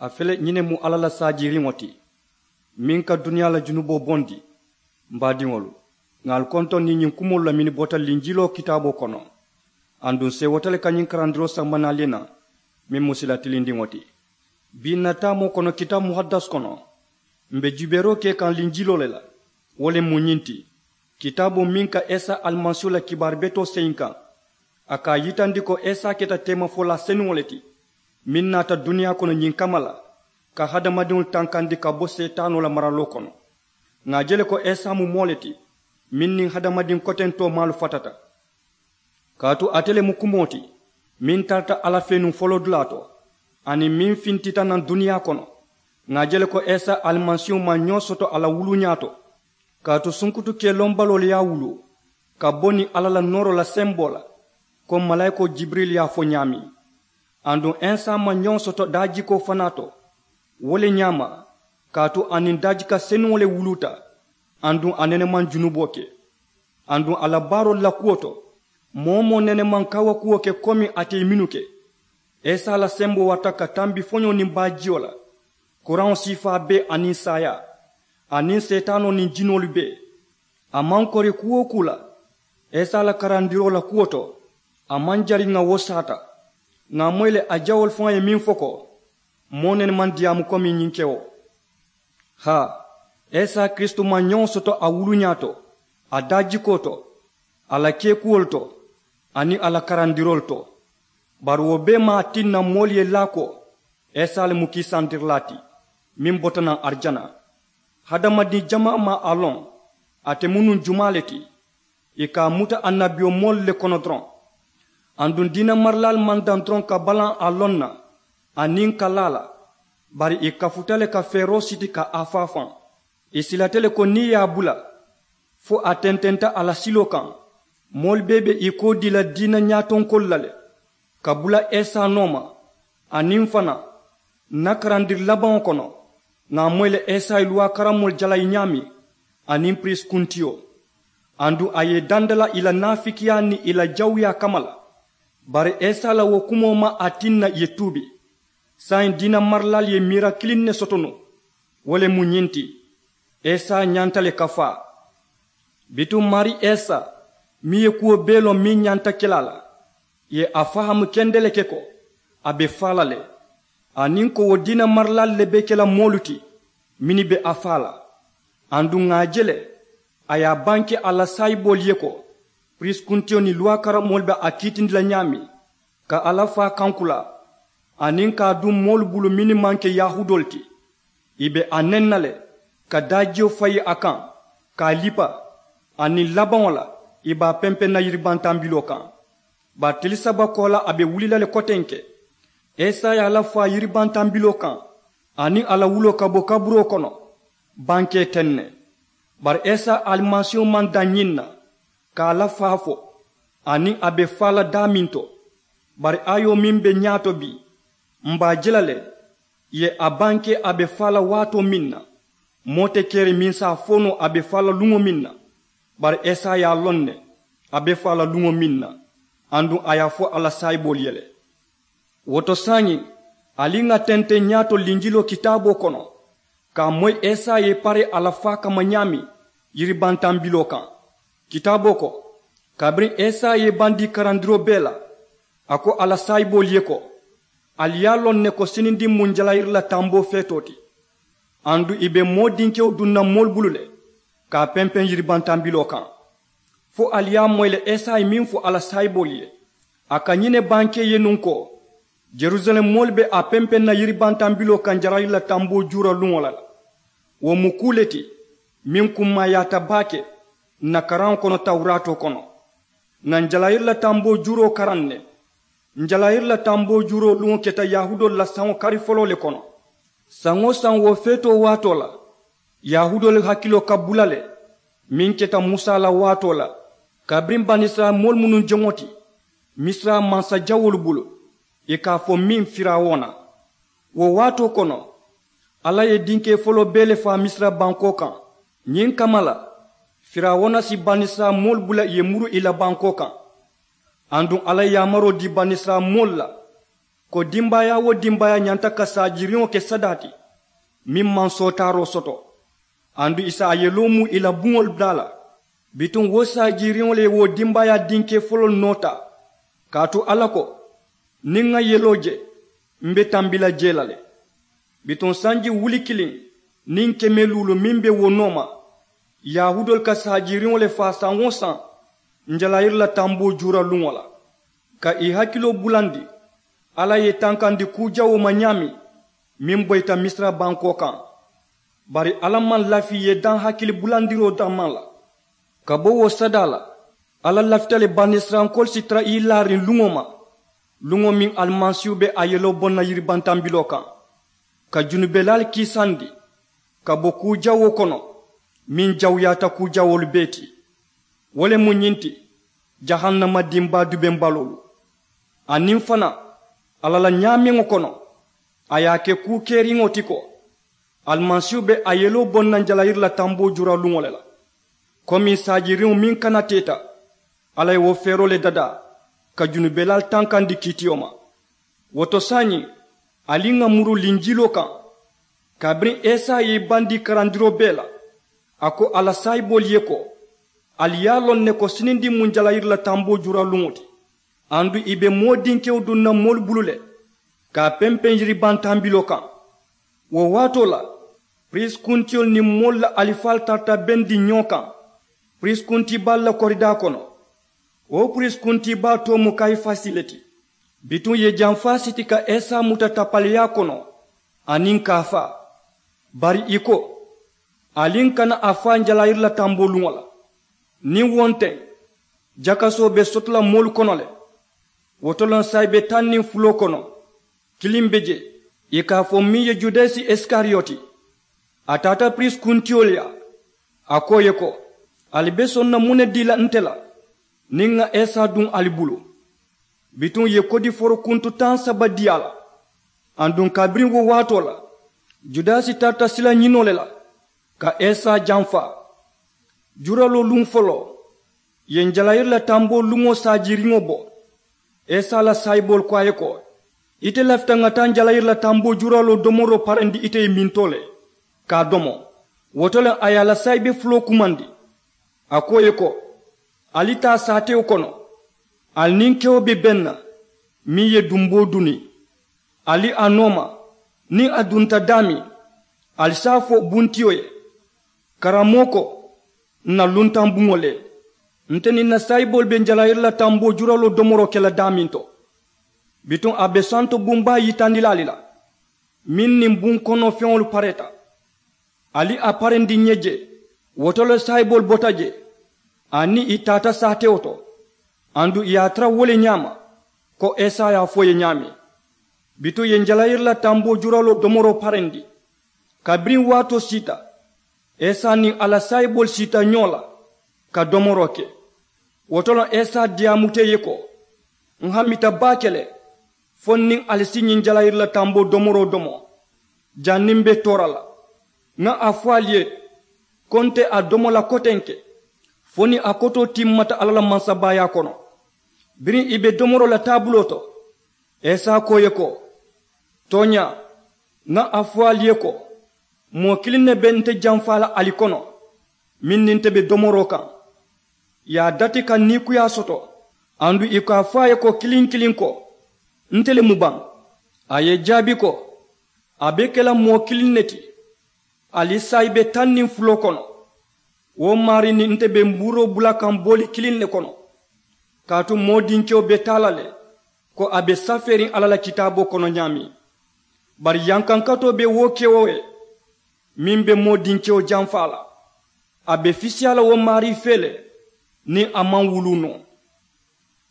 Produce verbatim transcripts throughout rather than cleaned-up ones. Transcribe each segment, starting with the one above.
A fele ñiŋ ne mu alla la saajiiriŋo ti, meŋ ka duniyaa la junuboo bondi. M baadiŋolu, ŋà ali kontondi ñiŋ kumoolu la mennu bota linjiloo kitaaboo kono. Aduŋ seewota le ka ñiŋ karandiroo samba naali na, meŋ mu sila tilindiŋo ti. Bii n na taamoo kono kitaabu muhaddas kono, m be jubeeroo ke kaŋ linjiloo le la. Wo le mu ñiŋ ti, kitaaboo meŋ ka isa alimasiihu la kibaari betoo seyiŋ kaŋ. A ka a yitandi ko isa keta teemafolaa senuŋo le ti, meŋ naata duniyaa kono ñiŋ kamma la, ka hadamadiŋolu tankandi ka bo seetaanoo la maraloo kono. Ŋà a je le ko isa mu moo le ti, meŋ niŋ hadamadiŋ kotentoo maalu fatata. Kaatu ate le mu kumoo ti, meŋ tarata alla fee nuŋ foloodulaa to, aniŋ meŋ fintita naŋ duniyaa kono. Ŋà a je le ko isa alimasiihu maŋ ñoo soto a la wuluuñaa to. Kaatu sunkutu kee lombaloo le ye a wuluu, ka bo niŋ alla la nooroo la semboo la, ko malaayikoo jibirili ye a fo ñaameŋ. Aduŋ isa maŋ ñoo soto daajikoo fanaa to. Wo le ñaama, kaatu a niŋ daajika senuŋo le wuluuta, aduŋ a nene maŋ junuboo ke. Aduŋ a la baaroolu la kuwo to, moo-wo-moo nene maŋ kawakuwo ke komi ate ye mennu ke. Isa la semboo warata ka tambi foñoo niŋ baajiyo la, kuraŋo siifaa bee aniŋ saayaa, aniŋ seetaanoo niŋ jinoolu bee. A maŋ kori kuu-wo-kuu la, isa la karandiroo la kuwo to, a maŋ jari ŋà wo saata. Ŋà a moyi le a jawoolu faŋo ye meŋ fo ko, moo nene maŋ diyaamu komi ñiŋ kewo. Haa, isa kiristu maŋ ñoo soto a wuluuñaa to, a daajikoo to, a la keekuwolu to, aniŋ a la karandiroolu to. Bari wo bee maŋ a tinna moolu ye laa ko isa le mu kiisandirilaa ti, meŋ bota naŋ arijana. Hadamadiŋ jamaa maŋ a loŋ ate mu nuŋ jumaa le ti. Ì ka a muta annabiyomoolu le kono doroŋ. Aduŋ diina marilaalu maŋ daŋ doroŋ ka balaŋ a loŋ na, aniŋ ka laa a la, bari ì kafuta le ka feeroo siti ka a faafaŋ. Ì silata le ko niŋ ì ye a bula, fo a tententa a la siloo kaŋ, moolu bee be ì koo dii la diina ñaatonkoolu la le, ka bula isa nooma. Aniŋ fanaa, n na karandiri labaŋo kono, ŋà a moyi le isa ye luwaa karamoolu jalayi ñaameŋ, aniŋ piriisi kuntiyo. Aduŋ a ye ì dandala ì la naafikiyaa niŋ ì la jawuyaa kamma la. Bari isa la wo kumoo maŋ a tinna ì ye tuubi. Saayiŋ diina marilaalu ye miira kiliŋ ne soto nuŋ, wo le mu ñiŋ ti, isa ñanta le ka faa. Bituŋ maarii isa, meŋ ye kuwo bee loŋ meŋ ñanta ke la a la, ì ye a fahaamu kende le ke ko, a be faa la le, aniŋ ko wo diina marilaalu le be ke la moolu ti, mennu be a faa la. Aduŋ ŋà a je le, a ye a banke a la saayiboolu ye ko, piriisi kuntiyo niŋ luwaa karamoolu be a kiitindi la ñaameŋ, ka alla faa kankulaa, aniŋ ka a duŋ moolu bulu mennu maŋ ke yahuudoolu ti. Ì be a neŋ na le, ka daajiyo fayi a kaŋ, ka a lipa. Aniŋ labaŋo la, ì be a pempeŋ na yiribantambiloo kaŋ. Bari tili saba koolaa a be wuli la le kotenke. Isa ye alla faa yiribantambiloo kaŋ, aniŋ a la wuloo ka bo kaburoo kono, bankee teŋ ne. Bari isa alimasiihu maŋ daŋ ñiŋ na, ka alla faa fo, aniŋ a be faa la daameŋ to. Bari ayoo meŋ be ñaato bii, m be a je la le, ì ye a banke a be faa la waatoo meŋ na. Moo te keri meŋ si a fo noo a be faa la luŋo meŋ na. Bari isa ye a loŋ ne, a be faa la luŋo meŋ na, aduŋ a ye a fo a la saayiboolu ye le. Wo to saayiŋ, ali ŋà tenteŋ ñaato linjiloo kitaaboo kono, ka a moyi isa ye i pare a la faa kamma ñaameŋ yiribantambiloo kaŋ. Kitaaboo ko, kabiriŋ isa ye i bandii karandiroo bee la, a ko a la saayiboolu ye ko, ali ye a loŋ ne ko sinindiŋ mu njalayiri la tamboo feetoo ti. Aduŋ ì be moo dinkewo duŋ na moolu bulu le, ka a pempeŋ yiribantambiloo kaŋ. Fo ali ye a moyi le isa ye meŋ fo a la saayiboolu ye, a ka ñiŋ ne bankee ye nuŋ ko, jerusalem moolu be a pempeŋ na yiribantambiloo kaŋ njalayiri la tamboo juuroo luŋo la le. Wo mu kuu le ti, meŋ kummaayaata baake n na karaŋo kono tawuraatoo kono. Ŋà njalayiri la tamboo juuroo karaŋ ne. Njalayiri la tamboo juuroo luŋo keta yahuudoolu la saŋo kari foloo le kono. Saŋ-wo-saŋ wo feetoo waatoo la, yahuudoolu hakiloo ka bula le, meŋ keta musa la waatoo la, kabiriŋ banisirayila moolu mennu joŋo ti misira mansajawoolu bulu, ì ka a fo meŋ firawuna. Wo waatoo kono, alla ye dinkee foloo bee le faa misira bankoo kaŋ. Ñiŋ kamma la, firawuna si banisirayila moolu bula ì ye muru ì la bankoo kaŋ. Aduŋ alla ye yaamaroo dii banisirayila moolu la, ko dimbaayaa wo dimbaayaa ñanta ka saajiriŋo ke sadaa ti meŋ maŋ sootaaroo soto, aduŋ ì si a yeloo mu ì la buŋolu daa la. Bituŋ wo saajiriŋo le ye wo dimbaayaa dinkee foloolu noo taa. Kaatu alla ko, niŋ ŋa yeloo je, m be tambi la jee la le. Bituŋ sanji wuli kiliŋ niŋ keme luulu meŋ be wo nooma, yahuudoolu ka saajiriŋo le faa saŋ-wo-saŋ njalayiri la tamboo juuraluŋo la, ka ì hakiloo bulandi alla ye tankandi kuu jawoo ma ñaameŋ meŋ boyita misira bankoo kaŋ. Bari alla maŋ lafi ì ye daŋ hakili bulandiroo dammaŋ la. Ka bo wo sadaa la, alla lafita le banisirayilankoolu si tara ì laariŋ luŋo ma, luŋo meŋ alimasiihu be a yeloo boŋ na yiribantambiloo kaŋ, ka junubelaalu kiisandi ka bo kuu jawoo kono meŋ jawuyaata kuu jawoolu bee ti. Wo le mu ñiŋ ti, jahannama dimbaa dubembaloolu. Aniŋ fanaa, alla la ñaameŋo kono, a ye a ke kuu keriŋo ti ko, alimasiihu be a yeloo boŋ na njalayiri la tamboo juuraluŋo le la, komi saajiriŋo meŋ kanateeta. Alla ye wo feeroo le dadaa ka junubelaalu tankandi kiitiyo ma. Wo to saayiŋ, ali ŋà muru linjiloo kaŋ. Kabiriŋ esa ye i bandii karandiroo bee la, a ko a la saayiboolu ye ko, ali ye a loŋ ne ko sinindiŋ mu njalayiri la tamboo juuraluŋo ti, aduŋ ì be moo dinkewo duŋ na moolu bulu le, ka a pempeŋ yiribantambiloo kaŋ. Wo waatoo la, piriisi kuntiyolu niŋ moolu la alifaalu tarata bendiŋ ñoo kaŋ piriisi kuntibaalu la koridaa kono. Wo piriisi kuntibaa too mu kayifasi le ti. Bituŋ ì ye jamfaa siti ka esa muta tapaleyaa kono aniŋ ka a faa. Bari ì ko, ali n kana a faa njalayiri la tamboo luŋo la. Niŋ wo nteŋ, jakasoo be soto la moolu kono le. Wo to le saayibe taŋ niŋ fuloo kono, kiliŋ be jee, ì ka a fo meŋ ye judasi isikariyoti. A taata piriisi kuntiyolu yaa, a ko ì ye ko, ali be soŋ na muŋ ne dii la nte la, niŋ ŋà esa duŋ ali bulu? Bituŋ ì ye kodifooro kuntu taŋ saba dii a la. Aduŋ kabiriŋ wo waatoo la, judasi tarata sila ñinoo le la, ka esa jamfaa. Juuraloo luŋ foloo, ì ye njalayiri la tamboo luŋo saajiriŋo bo. Esa la saayiboolu ko a ye ko, ite lafita ŋà taa njalayiri la tamboo juuraloo domoroo parendi ite ye mintoo le, ka a domo. Wo to le a ye a la saayibe fuloo kumandi, a ko ì ye ko, ali taa saatewo kono, ali niŋ kewo be beŋ na meŋ ye dumboo duni. Ali a nooma, niŋ a dunta daameŋ, ali si a fo buntiyo ye, karammoo ko, ǹ na luntaŋ buŋo le, nte niŋ ǹ na saayiboolu be njalayiri la tamboo juuraloo domoroo ke la daameŋ to. Bituŋ a be santo buŋ baa yitandi la ali la, meŋ niŋ buŋ kono feŋolu pareeta. Ali a parendi ǹ ye jee. Wo to le saayiboolu bota jee, aniŋ ì taata saatewo to, aduŋ ì ye a tara wo le ñaama, ko esa ye a fo ì ye ñaameŋ. Bituŋ ì ye njalayiri la tamboo juuraloo domoroo parendi. Kabiriŋ waatoo siita, esa niŋ a la saayiboolu siita ñoo la, ka domoroo ke. Wo to le esa diyaamuta ì ye ko, ǹ hamita baake le, fo n niŋ ali si ñiŋ njalayiri la tamboo domoroo domo, janniŋ m̀ be toora la. Ŋà a fo ali ye, ko nte a domo la kotenke, fo niŋ a kotoo timmata alla la mansabaayaa kono. Biriŋ ì be domoroo la taabuloo to, esa ko ì ye ko, tooñaa, ŋà a fo ali ye ko, moo kiliŋ ne be nte jamfaa la ali kono, meŋ niŋ nte be domoroo kaŋ. Ì ye a dati ka niikuyaa soto, aduŋ ì ko a fo a ye ko kiliŋ kiliŋ ko, nte le mu baŋ? A ye ì jaabi ko, a be ke la moo kiliŋ ne ti, ali saayibe taŋ niŋ fuloo kono. Wo maarii niŋ nte be mbuuroo bula kaŋ booli kiliŋ ne kono. Kaatu moo dinkewo be taa la le, ko a be safeeriŋ alla la kitaaboo kono ñaameŋ. Bari yankankatoo be wo kewo ye, meŋ be moo dinkewo jamfaa la, a be fisiyaa la wo maarii fee le, niŋ a maŋ wuluu noo.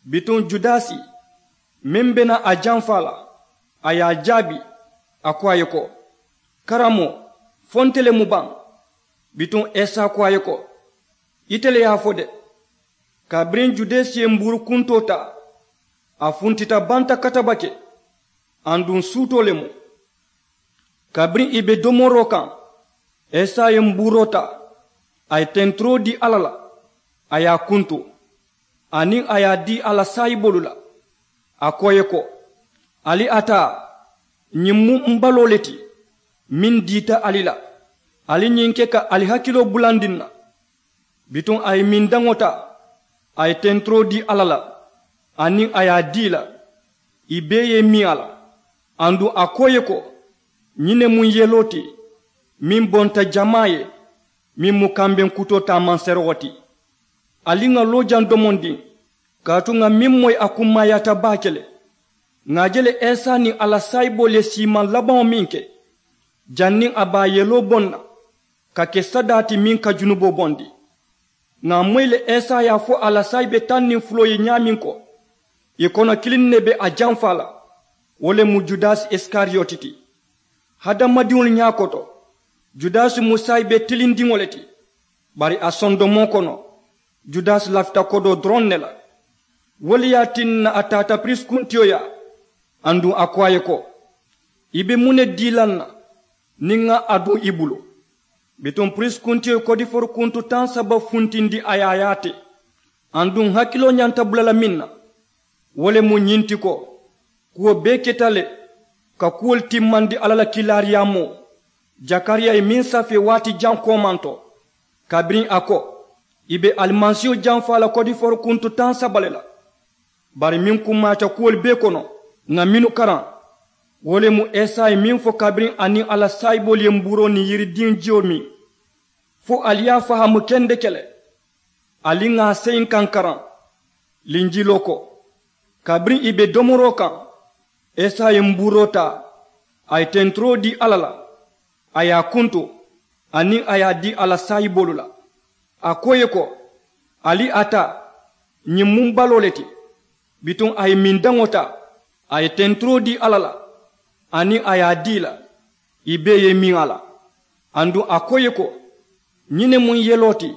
Bituŋ judasi, meŋ be naa a jamfaa la, a ye a jaabi, a ko a ye ko, karammoo, fo nte le mu baŋ? Bituŋ esa ko a ye ko, ite le ye a fo de. Kabiriŋ judasi ye mbuuru kuntoo taa, a funtita banta katabake, aduŋ suutoo le mu. Kabiriŋ ì be domoroo kaŋ, esa ye mbuuroo taa, a ye tenturoo dii alla la, a ye a kuntu, aniŋ a ye a dii a la saayiboolu la. A ko ì ye ko, Ali a taa, ñiŋ mu m baloo le ti meŋ diita ali la. Ali ñiŋ ke ka ali hakiloo bulandi n na. Bituŋ a ye mindaŋo taa, a ye tenturoo dii alla la, aniŋ a ye a dii i la, ì bee ye ì miŋ a la. Aduŋ a ko ì ye ko, ñiŋ ne mu n yeloo ti meŋ bonta jamaa ye, meŋ mu kambeŋ kutoo taamanserewo ti. Ali ŋà loo jaŋ domondiŋ, kaatu ŋà meŋ moyi a kummaayaata baake le. Ŋà a je le esa niŋ a la saayiboolu ye siimaŋ labaŋo meŋ ke, janniŋ a be a yeloo boŋ na ka ke sadaa ti meŋ ka junuboo bondi. Ŋà a moyi le esa ye a fo a la saayibe taŋ niŋ fuloo ye ñaameŋ ko, ì kono kiliŋ ne be a jamfaa la, wo le mu judasi isikariyoti ti. Hadamadiŋolu ñaa koto, judasi mu saayibe tilindiŋo le ti. Bari a sondomoo kono, judasi lafita kodoo doroŋ ne la. Wo le ye a tinna a taata piriisi kuntiyo yaa, aduŋ a ko a ye ko, i be muŋ ne dii la n na niŋ ŋa a duŋ i bulu? Bituŋ piriisi kuntiyo ye kodifoori kuntu taŋ saba funtindi a ye a yaate. Aduŋ hakiloo ñanta bula la meŋ na, wo le mu ñiŋ ti ko, kuwo bee keta le ka kuwolu timmandi alla la kiilaariyaamoo jakariya ye meŋ safee waati jaŋ koomaŋ to, kabiriŋ a ko, i be alimasiiho jamfaa la kodifoori kuntu taŋ saba le la. Bari meŋ kummaayaata kuwolu bee kono, ŋà mennu karaŋ, wo le mu esa ye meŋ fo kabiriŋ a niŋ a la saayiboolu ye mbuuroo niŋ yiridiŋ jiyo miŋ, fo ali ye a fahaamu kendeke le. Ali ŋà a seyinkaŋ karaŋ linjiloo ko, kabiriŋ ì be domoroo kaŋ, esa ye mbuuroo taa, a ye tenturoo dii alla la, a ye a kuntu, aniŋ a ye a dii a la saayiboolu la. A ko ì ye ko, ali a taa, ñiŋ mu m baloo le ti. Bituŋ a ye mindaŋo taa, a ye tenturoo dii alla la, aniŋ a ye a dii i la, ì bee ye ì miŋ a la. Aduŋ a ko ì ye ko, ñiŋ ne mu n yeloo ti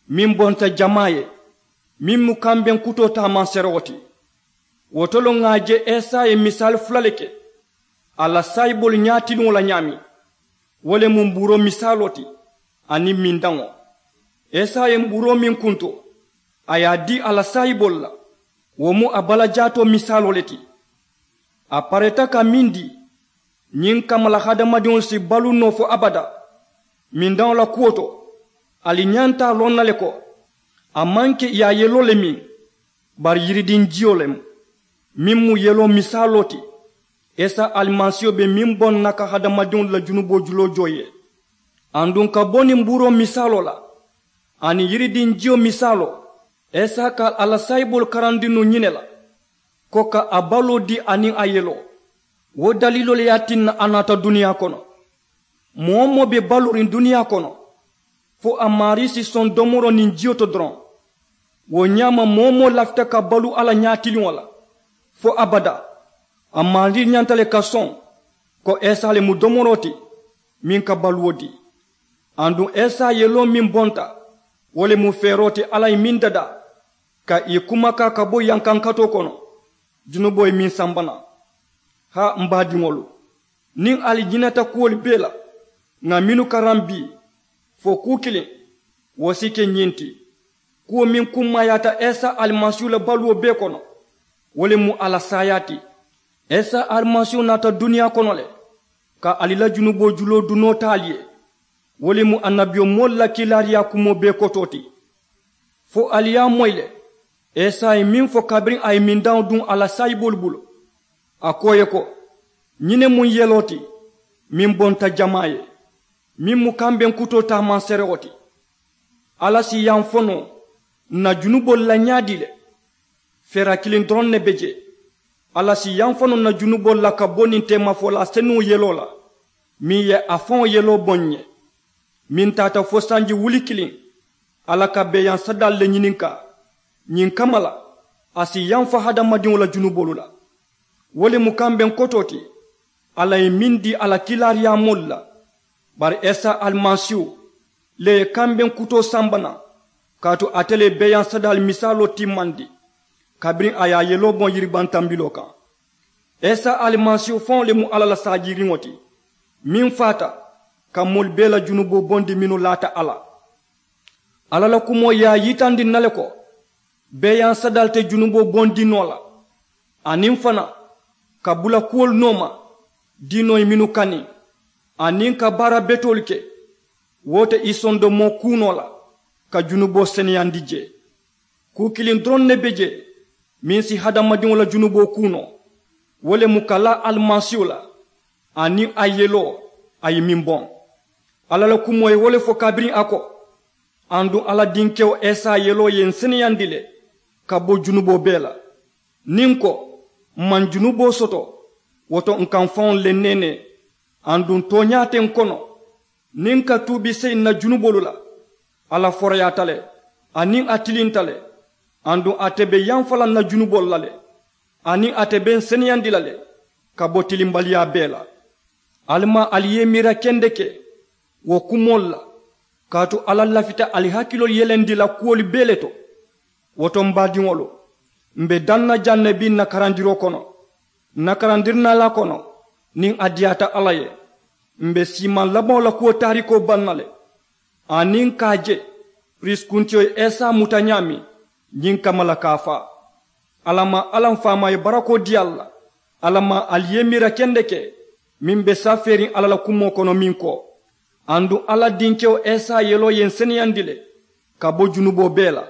meŋ bonta jamaa ye, meŋ mu kambeŋ kutoo taamanserewo ti. Wo to le ŋà a je esa ye misaali fula le ke a la saayiboolu ñaatiliŋo la ñaameŋ, wo le mu mbuuroo misaaloo ti, aniŋ mindaŋo. Esa ye mbuuroo meŋ kuntu, a ye a dii a la saayiboolu la, wo mu a balajaatoo misaaloo le ti. A pareeta ka meŋ dii, ñiŋ kamma la hadamadiŋolu si baluu noo fo abadaa. Mindaŋo la kuwo to, ali ñanta a loŋ na le ko, a maŋ ke ì ye a yeloo le miŋ, bari yiridiŋ jiyo le mu, meŋ mu yeloo misaaloo ti. Esa alimasiiho be meŋ boŋ na ka hadamadiŋolu la junuboo juloo joo ì ye. Aduŋ ka bo niŋ mbuuroo misaaloo la aniŋ yiridiŋ jiyo misaaloo, esa ka a la saayiboolu karandi nuŋ ñiŋ ne la, ko ka a baloo dii aniŋ a yeloo. Wo daliiloo le ye a tinna a naata duniyaa kono. Moo-wo-moo be baluuriŋ duniyaa kono, fo a maarii si soŋ domoroo niŋ jiyo to doroŋ. Wo ñaama moo-wo-moo lafita ka baluu alla ñaatiliŋo la fo abadaa, a maarii ñanta le ka soŋ ko esa le mu domoroo ti meŋ ka baluwo dii. Aduŋ esa yeloo meŋ bonta, wo le mu feeroo ti alla ye meŋ dadaa ka ì kumakaa ka bo yankankatoo kono, junuboo ye meŋ samba naŋ. Haa m baadiŋolu, niŋ ali ñinata kuwolu bee la ŋà mennu karaŋ bii, fo kuu kiliŋ, wo si ke ñiŋ ti: kuwo meŋ kummaayaata isa alimasiihu la baluwo bee kono, wo le mu a la saayaa ti. Isa alimasiihu naata duniyaa kono le ka ali la junuboo juloo dunoo taa ali ye. Wo le mu annabiyomoolu la kiilaariyaa kumoo bee kotoo ti. Fo ali ye a moyi le, isa ye meŋ fo kabiriŋ a ye mindaŋo duŋ a la saayiboolu bulu, a ko ì ye ko, ñiŋ ne mu ǹ yeloo ti meŋ bonta jamaa ye, meŋ mu kambeŋ kutoo taamanserewo ti. Alla si yaŋ fo noo ǹ na junuboolu la ñaadii le? Feera kiliŋ doroŋ ne be jee. Alla si yaŋ fo noo ǹ na junuboolu la ka bo niŋ teemafolaa senuŋo yeloo la, meŋ ye a faŋo yeloo boŋ ǹ ye, meŋ taata fo sanji wuli kiliŋ. Alla ka beeyaŋ sadaalu le ñininkaa. Ñiŋ kamma la, a si yaŋ fo hadamadiŋo la junuboolu la. Wo le mu kambeŋ kotoo ti alla ye meŋ dii a la kiilaariyaamoolu la. Bari isa alimasiihu le ye kambeŋ kutoo samba naŋ, kaatu ate le ye beeyaŋ sadaalu misaaloo timmandi kabiriŋ a ye a yeloo boŋ yiribantambiloo kaŋ. Isa alimasiihu faŋo le mu alla la saajiiriŋo ti, meŋ faata ka moolu bee la junuboo bondi mennu laata a la. Alla la kumoo ye a yitandi ǹ na le ko, beeyaŋ sadaalu te junuboo bondi noo la. Aniŋ fanaa, ka bula kuwolu nooma diinoo ye mennu kani, aniŋ ka baara betoolu ke, wo te i sondomoo kuunoo la ka junuboo seneyandi jee. Kuu kiliŋ doroŋ ne be jee meŋ si hadamadiŋo la junuboo kuunoo, wo le mu ka laa alimasiihu la, aniŋ a yeloo a ye meŋ boŋ. Alla la kumoo ye wo le fo kabiriŋ a ko, aduŋ alla dinkewo esa yeloo ye n seneyandi le ka bo junuboo bee la. Niŋ n ko, m maŋ junuboo soto, wo to n ka m faŋo le neenee. Aduŋ tooñaa te n kono, niŋ n ka tuubi seyi n na junuboolu la. Alla foroyaata le, aniŋ a tilinta le, aduŋ ate be yamfa la n na junuboolu la le, aniŋ ate be n seneyandi la le ka bo tilimbaliyaa bee la. Ali maŋ ali ye i miira kendeke wo kumoolu la, kaatu alla lafita ali hakiloolu yelendi la kuwolu bee le to. Wo to m baadiŋolu, m be daŋ na jaŋ ne bii n na karandiroo kono, n na karandirinaalaa kono, niŋ a diyaata alla ye, m be siimaŋ labaŋo la kuwo taarikoo baŋ na le. Aniŋ ka a je piriisi kuntiyo ye esa muta ñaameŋ ñiŋ kamma la ka a faa. Alla maŋ alla m faamaa ye barakoo dii ali la. Alla maŋ ali ye miira kendeke meŋ be safeeriŋ alla la kumoo kono meŋ ko, aduŋ alla dinkewo esa yeloo ye n seneyandi le ka bo junuboo bee la.